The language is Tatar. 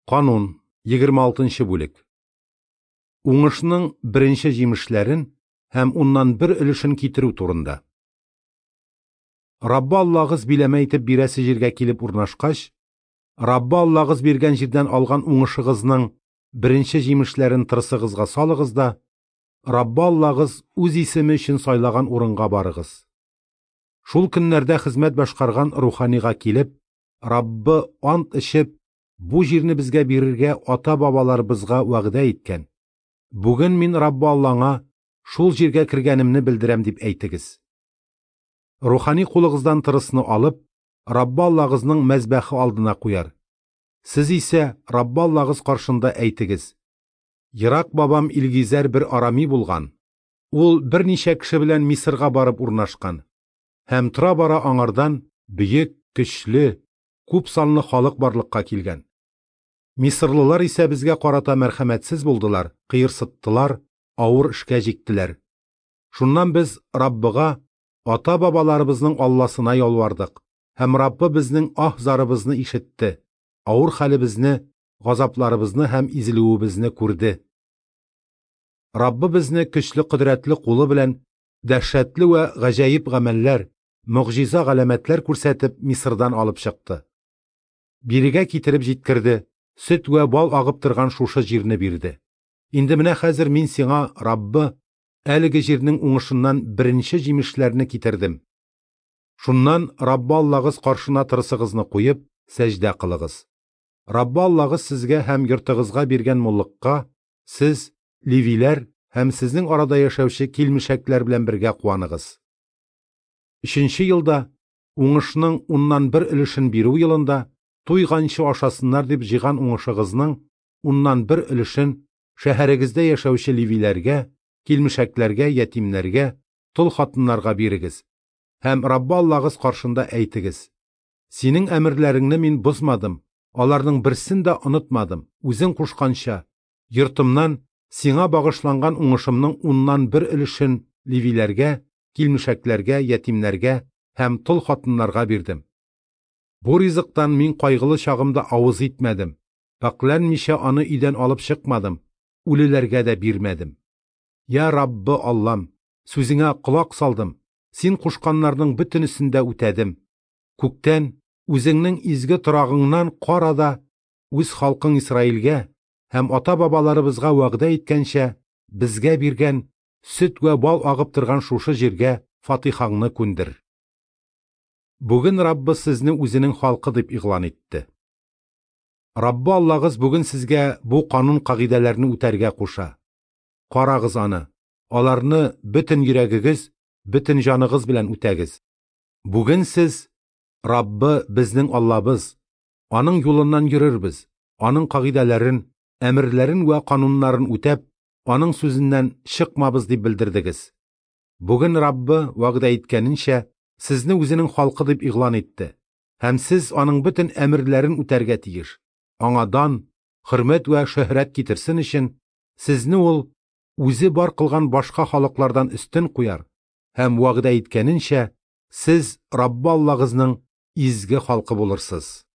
Канун, 26 нчы бүлек. Уңышның беренче җимешләрен һәм уннан бер өлешен китерү турында. Раббы Аллагыз биләмә итеп бирәсе җиргә килеп урнашкач, Раббы Аллагыз биргән җирдән алган уңышыгызның беренче җимешләрен тырысыгызга салыгыз да, Раббы Аллагыз үз исеме өчен сайлаган урынга барыгыз. Шул көннәрдә хезмәт башкарган руханига килеп, Раббы ант эчеп, бу җирне безгә бирергә ата-бабаларыбызга вәгъдә иткән. Бүген мин Раббы Аллаңа шул җиргә кергәнемне белдерәм дип әйтегез. Рухани кулыгыздан тырысны алып, Раббы Аллагызның мәзбәхе алдына куяр. Сез исә Раббы Аллагыз каршында әйтегез: Ерак бабам Илгизәр бер арами булган. Ул берничә кеше белән Мисырга барып урнашкан. Һәм тора-бара аңардан бөек, көчле, күп санлы халык барлыкка килгән. Мисырлылар исә безгә карата мәрхәмәтсез булдылар, кыерсыттылар, авыр эшкә җиктеләр. Шуннан без Раббыга, ата-бабаларыбызның Алласына ялвардык, һәм Раббы безнең аһ-зарыбызны ишетте, авыр хәлебезне, газапларыбызны һәм изелүебезне күрде. Раббы безне көчле кодрәтле кулы белән дәһшәтле вә гаҗәеп гамәлләр, могҗиза-галәмәтләр күрсәтеп Мисырдан алып чыкты. Бирегә китереп җиткерде, сөт вә бал агып торган шушы җирне бирде. Инде менә хәзер мин сиңа, Раббы, әлеге җирнең уңышыннан беренче җимешләрне китердем. Шуннан Раббы Аллагыз каршына тырысыгызны куеп, сәҗдә кылыгыз. Раббы Аллагыз сезгә һәм йортыгызга биргән муллыкка сез, левиләр һәм сезнең арада яшәүче килмешәкләр белән бергә куаныгыз. Өченче елда, уңышның уннан бер өлешен бирү елында, туйганчы ашасыннар дип җыйган уңышыгызның уннан бер өлешен шәһәрегездә яшәүче левиләргә, килмешәкләргә, ятимнәргә, тол хатыннарга бирегез һәм Раббы Аллагыз каршында әйтегез: Синең әмерләреңне мин бозмадым, аларның берсен дә онытмадым, үзең кушканча, йортымнан сиңа багышланган уңышымның уннан бер өлешен левиләргә, килмешәкләргә, ятимнәргә һәм тол хатыннарга бирдем. Бу ризыктан мин кайгылы чагымда авыз итмәдем, пакьләнмичә аны өйдән алып чыкмадым, үлеләргә дә бирмәдем. Я Раббы Аллам, сүзеңә колак салдым, син кушканнарның бөтенесен дә үтәдем. Күктән, үзеңнең изге торагыңнан кара да, үз халкың Исраилгә һәм ата-бабаларыбызга вәгъдә иткәнчә, безгә биргән сөт вә бал агып торган шушы җиргә фатихаңны күндер. Бүген Раббы сезне үзенең халкы дип игълан итте. Раббы Аллагыз бүген сезгә бу канун-кагыйдәләрне үтәргә куша. Карагыз аны, аларны бөтен йөрәгегез, бөтен җаныгыз белән үтәгез. Бүген сез, Раббы безнең Аллабыз, аның юлыннан йөрербез, аның кагыйдәләрен, әмерләрен вә кануннарын үтәп, аның сүзеннән чыкмабыз дип белдердегез. Бүген Раббы, вәгъдә иткәненчә, сезне үзенең халкы дип игълан итте, һәм сез аның бөтен әмерләрен үтәргә тиеш. Аңа дан, хөрмәт вә шөһрәт китерсен өчен, сезне ул үзе бар кылган башка халыклардан өстен куяр һәм вәгъдә иткәненчә, сез Раббы Аллагызның изге халкы булырсыз.